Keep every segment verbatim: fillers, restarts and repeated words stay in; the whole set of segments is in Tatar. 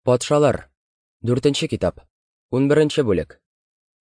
Патшалар. Дүртенче китап. Унберенче бүлек.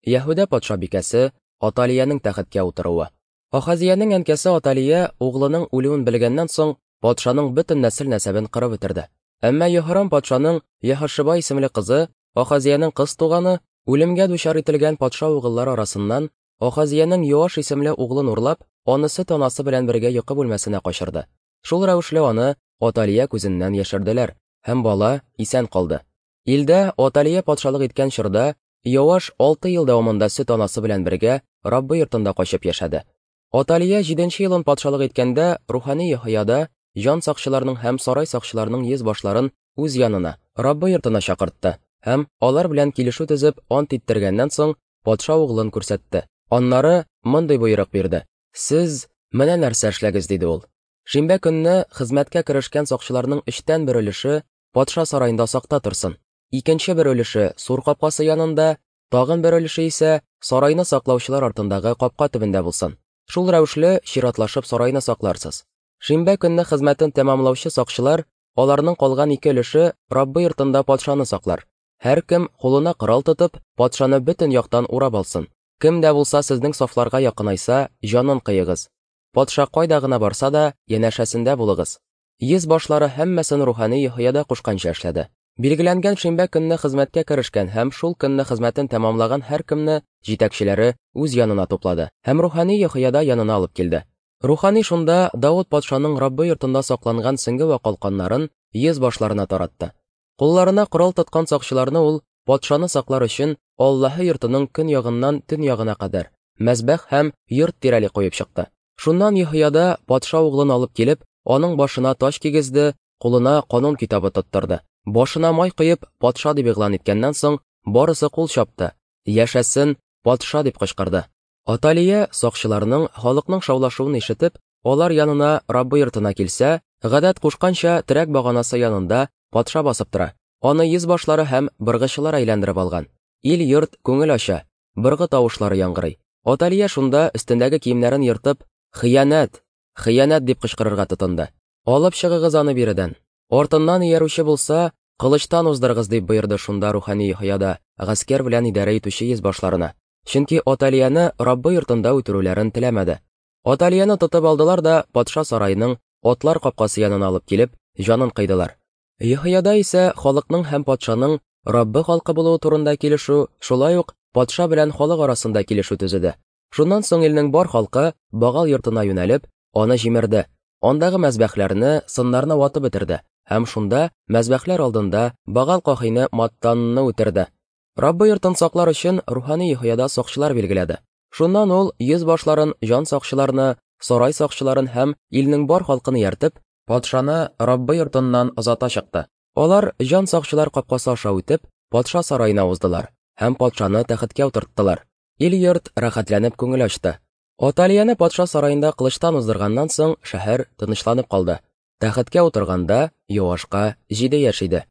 Яһүдә патшабикәсе Аталиянең тәхеткә утыруы. Ахазиянең әнкәсе Аталия углының үлүен белгәннән соң патшаның бөтен нәсел-нәсәбен кырып бетерде. Әмма Йоһрам патшаның Яһошыба исемле кызы, Ахазиянең кыз туганы, үлемгә дучар ителгән патша угыллары арасыннан Ахазиянең Йоаш исемле углын урлап, аны сөт анасы белән бергә йокы бүлмәсенә качырды. Шул рәвешле аны Аталия күзеннән яшерделәр, һәм бала исән калды. Илдә Аталия патшалык иткән чорда Йоаш алты ел дәвамында сөт анасы белән бергә Раббы йортында качып яшәде. Аталия җиденче елын патшалык иткәндә рухани Йоһояда җан сакчыларының һәм сарай сакчыларының йөз башларын үз янына, Раббы йортына чакыртты һәм алар белән килешү төзеп ант иттергәннән соң патша углын күрсәтте. Аннары мондый боерык бирде: "Сез менә нәрсә эшләгез", диде ул. Шимбә көнне хезмәткә керешкән сакчыларның өчтән бер өлеше патша сараенда сакта торсын. Икенче бер өлеше сур капкасы янында, тагын бер өлеше исә сарайны саклаучылар артындагы капка төбендә булсын. Шул рәвешле чиратлашып сарайны сакларсыз. Шимбә көнне хезмәтен тәмамлаучы сакчылар, аларның калган ике өлеше Раббы йортында патшаны саклар. Һәркем кулына корал тотып, патшаны бөтен яктан урап алсын. Кем дә булса сезнең сафларга якынайса, җанын кыегыз. Патша кайда гына барса да, янәшәсендә булыгыз. Йөз башлары һәммәсен рухани Йоһояда кушканча эшләде. Билгеләнгән шимбә көнне хезмәткә керешкән һәм шул көнне хезмәтен тәмамлаган һәркемне җитәкчеләре үз янына туплады һәм рухани Йоһояда янына алып килде. Рухани шунда Давыт патшаның Раббы йортында сакланган сеңге вә калканнарын йөз башларына таратты. Кулларына корал тоткан сакчыларны ул патшаны саклар өчен Аллаһы йортының көн ягыннан төн ягына кадәр мәзбәх һәм йорт тирәли куеп чыкты. Шуннан Йоһояда патша углын алып килеп, аның башына таҗ кигезде, кулына канун китабы тоттырды. Башына май коеп, патша дип игълан иткәннән соң, барысы кул чапты. "Яшәсен патша!" дип кычкырды. Аталия сакчыларның, халыкның шаулашуын ишетеп, алар янына Раббы йортына килсә, гадәт кушканча терәк баганасы янында патша басып тора. Аны йөз башлары һәм быргычылар әйләндереп алган. Ил йорт күңел ача, быргы тавышлары яңгырый. Аталия шунда өстендәге киемнәрен ертып, "Хыянәт! Хыянәт!" дип кычкырырга тотынды. "Алып чыгыгыз аны биредән. Артыннан иярүче булса, кылычтан уздырыгыз", дип боерды шунда рухани Йоһояда гаскәр белән идарә итүче йөз башларына. Чөнки Аталияны Раббы йортында үтерүләрен теләмәде. Аталияны тотып алдылар да патша сараеның атлар капкасы янына алып килеп, җанын кыйдылар. Йоһояда исә халыкның һәм патшаның Раббы халкы булуы турында килешү, шулай ук патша белән халык арасында килешү төзеде. Шуннан соң илнең бар халкы Багал йортына юнәлеп, аны җимерде. Андагы мәзбәхләрне, сыннарны ватып бетерде һәм шунда мәзбәхләр алдында Багал кахине Маттанны үтерде. Раббы йортын саклар өчен рухани Йоһояда сакчылар билгеләде. Шуннан ул йөз башларын, җан сакчыларны, сарай сакчыларын һәм илнең бар халкын ияртеп, патшаны Раббы йортыннан озата чыкты. Алар җан сакчылар капкасы аша үтеп, патша сараена уздылар һәм патшаны тәхеткә утырттылар. Ил йорт рәхәтләнеп күңел ачты. Аталияны патша сараенда кылычтан уздырганнан соң шәһәр тынычланып калды. Тәхеткә утырганда Йоашка җиде яшь иде.